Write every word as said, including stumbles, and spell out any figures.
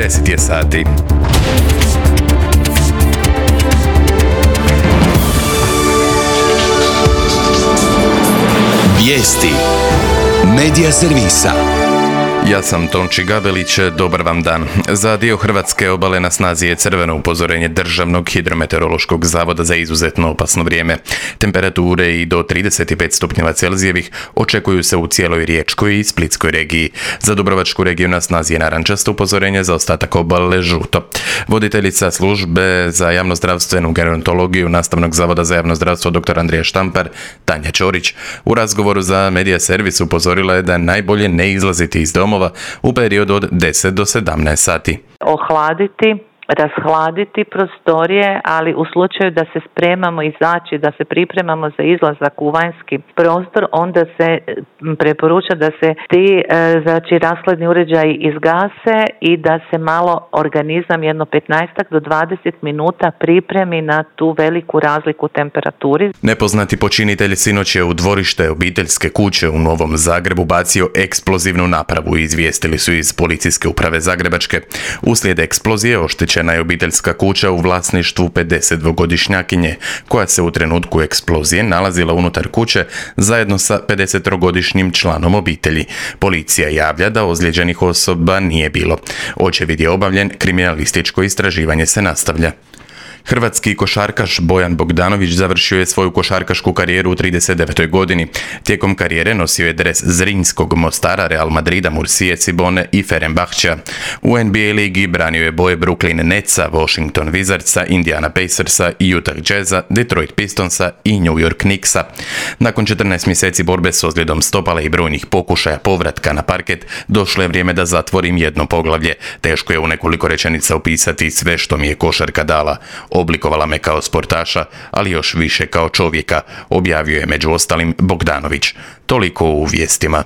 deset je sati. Vijesti Medija servisa. Ja sam Tonči Gabelić, dobar vam dan. Za dio hrvatske obale na snazi je crveno upozorenje Državnog hidrometeorološkog zavoda za izuzetno opasno vrijeme. Temperature i do trideset pet stupnjeva Celzijevih očekuju se u cijeloj Riječkoj i Splitskoj regiji. Za Dubrovačku regiju na snazi je narančasto upozorenje, za ostatak obale žuto. Voditeljica službe za javnozdravstvenu gerontologiju Nastavnog zavoda za javno zdravstvo dr. Andrija Štampar, Tanja Ćorić, u razgovoru za Medija servis upozorila je da najbolje ne izlaziti iz doma u periodu od deset do sedamnaest sati. Ohladiti, rashladiti prostorije, ali u slučaju da se spremamo izaći, da se pripremamo za izlazak u vanjski prostor, onda se preporuča da se ti znači, rashladni uređaji izgase i da se malo organizam jedno petnaest do dvadeset minuta pripremi na tu veliku razliku u temperaturi. Nepoznati počinitelj sinoć je u dvorište obiteljske kuće u Novom Zagrebu bacio eksplozivnu napravu, izvijestili su iz policijske uprave Zagrebačke. Uslijed eksplozije oštećena je obiteljska kuća u vlasništvu pedesetdvogodišnjakinje, koja se u trenutku eksplozije nalazila unutar kuće zajedno sa pedesettrogodišnjim članom obitelji. Policija javlja da ozlijeđenih osoba nije bilo. Očevid je obavljen, kriminalističko istraživanje se nastavlja. Hrvatski košarkaš Bojan Bogdanović završio je svoju košarkašku karijeru u trideset devetoj godini. Tijekom karijere nosio je dres Zrinjskog, Mostara, Real Madrida, Mursije, Cibone i Fenerbahčea. U N B A ligi branio je boje Brooklyn Netsa, Washington Wizardsa, Indiana Pacersa, Utah Jazza, Detroit Pistonsa i New York Knicksa. Nakon četrnaest mjeseci borbe s ozljedom stopala i brojnih pokušaja povratka na parket, došlo je vrijeme da zatvorim jedno poglavlje. Teško je u nekoliko rečenica opisati sve što mi je košarka dala. Oblikovala me kao sportaša, ali još više kao čovjeka, objavio je među ostalim Bogdanović. Toliko u vijestima.